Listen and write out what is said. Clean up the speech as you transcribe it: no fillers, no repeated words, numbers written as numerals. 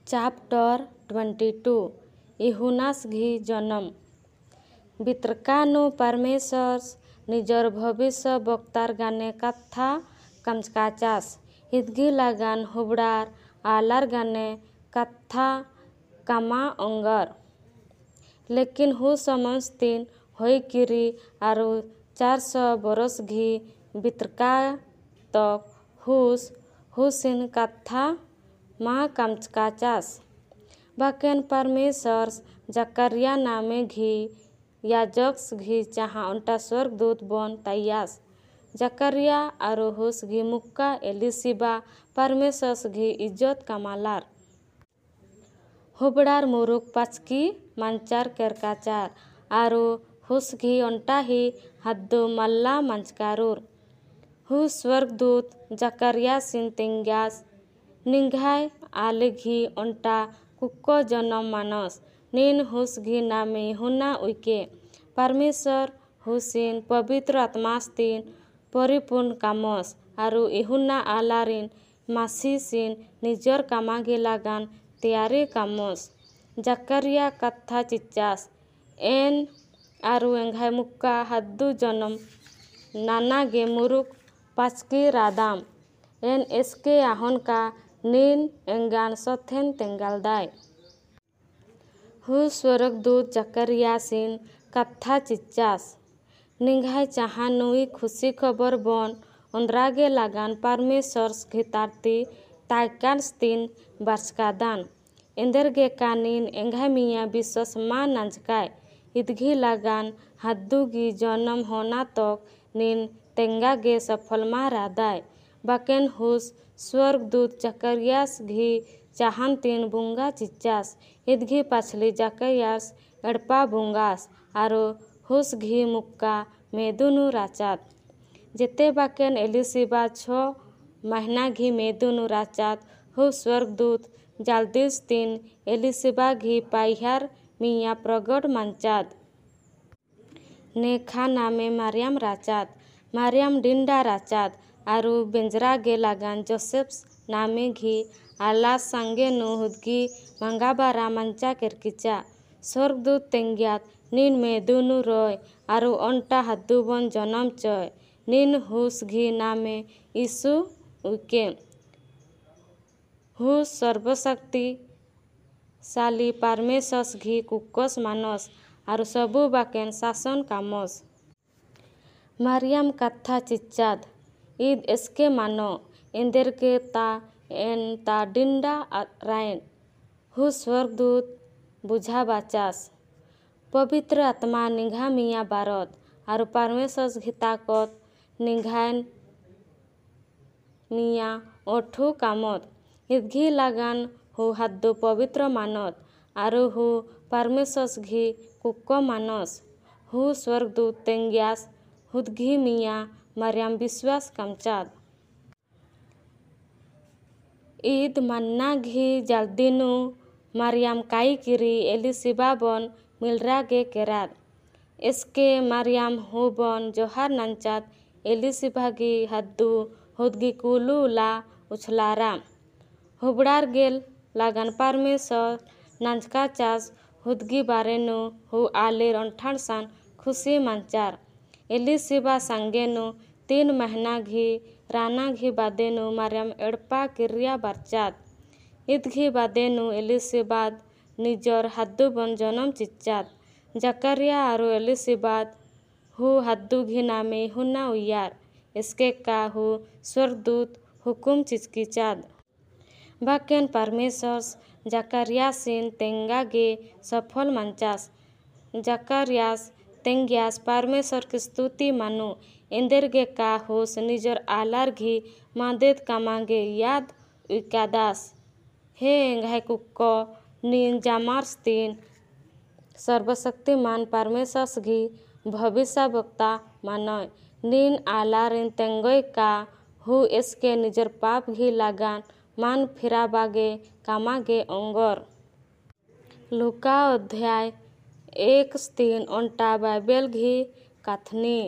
Chapter 22 यूहन्नासघी जन्म। बित्रकानु परमेश्वर निजर भविष्य वक्तार गाने कथा कामचकाचास। हिदगी लगान हुबड़ार आलार गाने कथा कामा ओंगर। लेकिन who समस्तीन होईकिरी आरु 400 बरसघी बित्रका तक हुस हुसिन कथा मा कामचकाचास। बाकेन परमेश्वर जकरिया नामे घी याजकसघी चाहा ओंटा स्वर्गदूत बन ताइयास। जकरिया आरु हुसघी मुक्का एलिशिबा परमेश्वरसघी इज्जत कामालार। हुबड़ार मुरुक पाचकी मांचार केरकाचार आरु हुसघी ओंटाही हद्दू मल्ला मांचकारूर। Who स्वर्गदूत जकरियासिन तेंग्यास निंघाय आलेघी ओंटा कुक्को जन्म मानस निन हुसघी नामे यूहन्ना उइके। परमेश्वर हुसिन पवित्र आत्मास्तीन परिपूर्ण कामस आरु यूहन्ना आलारिन मासीसिन निजर कामागी लागान तैयारी कामस। जकरिया कथा चिच्चास एन आरु एंघाय मुक्का हद्दू जन्म नानागे मुरुक पाचकी रादाम एन एसके आहन का नीन एंगान सथेन तेंगालदाय। Who स्वर्गदूत जकरियासिन कथा चिच्चास निंघाय चाहा नुई खुशी खबर बन ओंद्रागे लागान परमेश्वर घितारती तायकानस्तीन बार्चकादान। एंदेरगे का नीन एंघाय मिया विश्वास मा नांजकाय इदघी लागान हद्दूगी जन्म होना तक नीन तेंगागे सफल मा रादाय। बाकेन हुस स्वर्गदूत जकरियास घी चाहन तीन बुंगा चिच्चास इदघी पाछली जकरियास एड़पा बुंगास आरु हुस घी मुक्का मेदुनु राचात। जेते बाकेन एलिशिबा 6 महीना घी मेदुनु राचात who स्वर्गदूत जालदिस तीन एलिशिबा घी पाइहार मिया प्रगट मांचात। नेखा नामे मारियाम राचात। मारियाम डिंडा राचात आरु बेंजरागे लागान जोसेफ नामे घी आला सांगेनु हुदगी मंगाबारा मांचा केरकिचा। स्वर्गदूत तेंग्यात नीन मेदुनु रय आरु ओंटा हद्दुबन जन्म चय नीन हुस घी नामे यीशु उइके। Who सर्वशक्तिशाली परमेश्वर घी कुक्कस मानस आरु सबु बाकेन शासन कामस। मारियाम कथा चिच्चाद ईद एसके मानो एंदेरगे ता एन ता डिंडा रायन। Who स्वर्गदूत बुझा बाचास पवित्र आत्मा निघा मिया बारत आरु परमेश्वर घी ताकत निघायन मिया ओठू कामत। इदघी लागान who हद्दू पवित्र मानत आरु who परमेश्वर घी कुक्को मानस। Who स्वर्गदूत तेंग्यास हुदघी मिया मारियाम विश्वास कामचाद। ईद मन्ना घी जालदिनु मारियाम काई किरी एलिशिबा बन मिलरागे केराद। एसके मारियाम who बन जोहार नांचात एलिशिबा गी हद्दू हुदगी कुलू ला उछलारा। हुबड़ार गेल लागान परमेश्वर नांचका चास हुदगी बारेनु who आलेर ओंठाणसान खुशी मांचार। एलिशिबा सांगेनु 3 महीना घी राना घी बादेनु मारियाम एड़पा किरिया बारचात। इदघी बादेनु एलिशिबाद निजर हद्दू बन जन्म चिच्चात। जकरिया आरु एलिशिबाद who हद्दू घी नामे यूहन्ना उयार एसके का who स्वर्गदूत हुकुम चिचकीचाद। बाकेन परमेश्वर जकरियासिन तेंगागे सफल मांचास। जकरियास तेंग्यास परमेश्वर की स्तुति मानो एंदेरगे का होस निजर आलार घी मादेद कामागे याद उइकादास। हे एंघाय कुक्को नीन जामार्सतीन सर्वशक्तिमान परमेश्वर घी भविष्यवक्ता मानय। नीन आलारिन तेंगोय का who एसके निजर पाप घी लागान मान फिराबागे कामागे ओंगर। लूका अध्याय 1-3 ओंटा बाइबेल घी कथनी।